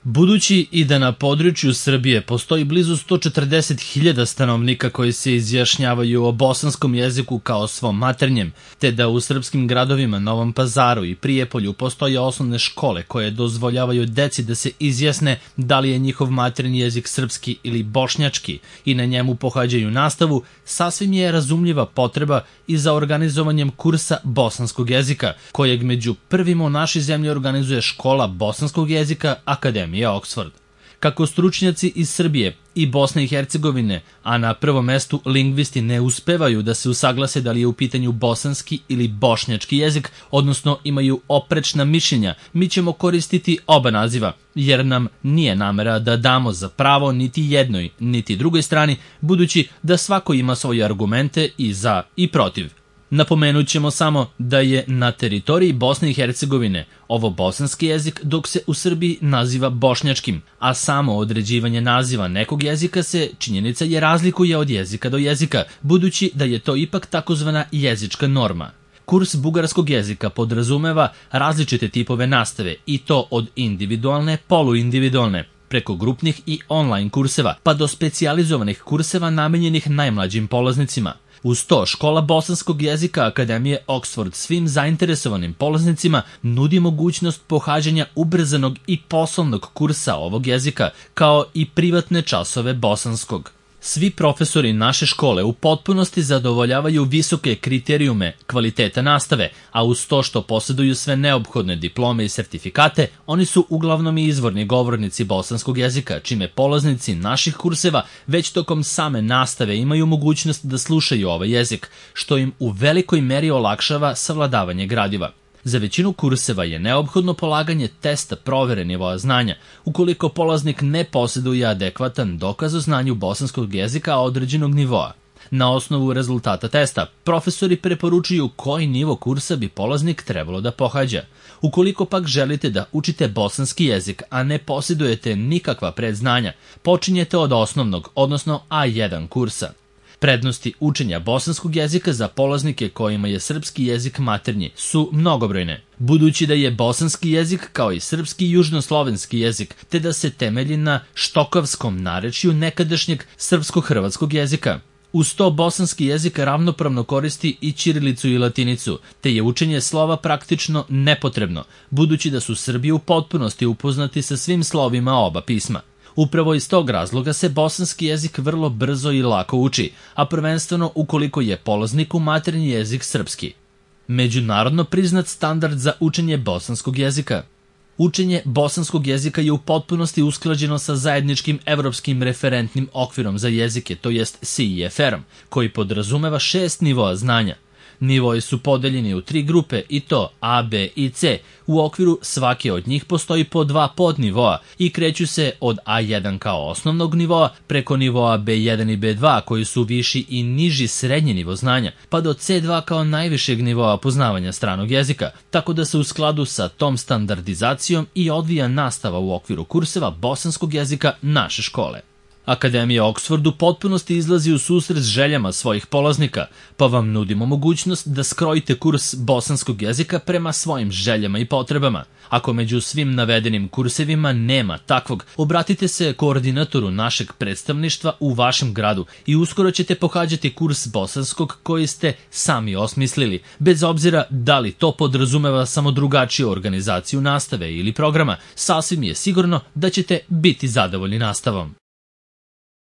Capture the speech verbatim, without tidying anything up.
Budući i da na području Srbije postoji blizu sto četrdeset hiljada stanovnika koji se izjašnjavaju o bosanskom jeziku kao svom maternjem, te da u srpskim gradovima Novom Pazaru i Prijepolju postoje osnovne škole koje dozvoljavaju deci da se izjasne da li je njihov maternji jezik srpski ili bošnjački i na njemu pohađaju nastavu, sasvim je razumljiva potreba i za organizovanjem kursa bosanskog jezika, kojeg među prvima u našoj zemlji organizuje Škola bosanskog jezika Akademije Oxford. Kako stručnjaci iz Srbije i Bosne i Hercegovine, a na prvom mestu lingvisti ne uspevaju da se usaglase da li je u pitanju bosanski ili bošnjački jezik, odnosno imaju oprečna mišljenja, mi ćemo koristiti oba naziva, jer nam nije namera da damo za pravo niti jednoj, niti drugoj strani, budući da svako ima svoje argumente i za i protiv. Napomenut ćemo samo da je na teritoriji Bosne i Hercegovine ovo bosanski jezik, dok se u Srbiji naziva bošnjačkim, a samo određivanje naziva nekog jezika se, činjenica je, razlikuje od jezika do jezika, budući da je to ipak takozvana jezička norma. Kurs bugarskog jezika podrazumeva različite tipove nastave, i to od individualne, poluindividualne, preko grupnih i online kurseva, pa do specijalizovanih kurseva namenjenih najmlađim polaznicima. Uz to, Škola bosanskog jezika Akademije Oxford svim zainteresovanim polaznicima nudi mogućnost pohađanja ubrzanog i poslovnog kursa ovog jezika, kao i privatne časove bosanskog. Svi profesori naše škole u potpunosti zadovoljavaju visoke kriterijume kvaliteta nastave, a uz to što posjeduju sve neophodne diplome i sertifikate, oni su uglavnom i izvorni govornici bosanskog jezika, čime polaznici naših kurseva već tokom same nastave imaju mogućnost da slušaju ovaj jezik, što im u velikoj meri olakšava savladavanje gradiva. Za većinu kurseva je neophodno polaganje testa provere nivoa znanja, ukoliko polaznik ne posjeduje adekvatan dokaz o znanju bosanskog jezika određenog nivoa. Na osnovu rezultata testa, profesori preporučuju koji nivo kursa bi polaznik trebalo da pohađa. Ukoliko pak želite da učite bosanski jezik, a ne posjedujete nikakva predznanja, počinjete od osnovnog, odnosno A jedan kursa. Prednosti učenja bosanskog jezika za polaznike kojima je srpski jezik maternji su mnogobrojne, budući da je bosanski jezik kao i srpski južnoslovenski jezik, te da se temelji na štokavskom narečju nekadašnjeg srpsko-hrvatskog jezika. Uz to bosanski jezik ravnopravno koristi i ćirilicu i latinicu, te je učenje slova praktično nepotrebno, budući da su Srbi u potpunosti upoznati sa svim slovima oba pisma. Upravo iz tog razloga se bosanski jezik vrlo brzo i lako uči, a prvenstveno ukoliko je polazniku maternji jezik srpski. Međunarodno priznat standard za učenje bosanskog jezika. Učenje bosanskog jezika je u potpunosti usklađeno sa zajedničkim evropskim referentnim okvirom za jezike, to jest C I F R-om, koji podrazumeva šest nivoa znanja. Nivoji su podeljeni u tri grupe, i to A, B i C. U okviru svake od njih postoji po dva podnivoa i kreću se od A jedan kao osnovnog nivoa preko nivoa B jedan i B dva koji su viši i niži srednji nivo znanja, pa do C dva kao najvišeg nivoa poznavanja stranog jezika, tako da se u skladu sa tom standardizacijom i odvija nastava u okviru kurseva bosanskog jezika naše škole. Akademija Oxford u potpunosti izlazi u susret s željama svojih polaznika, pa vam nudimo mogućnost da skrojite kurs bosanskog jezika prema svojim željama i potrebama. Ako među svim navedenim kursevima nema takvog, obratite se koordinatoru našeg predstavništva u vašem gradu i uskoro ćete pohađati kurs bosanskog koji ste sami osmislili, bez obzira da li to podrazumeva samo drugačiju organizaciju nastave ili programa, sasvim je sigurno da ćete biti zadovoljni nastavom.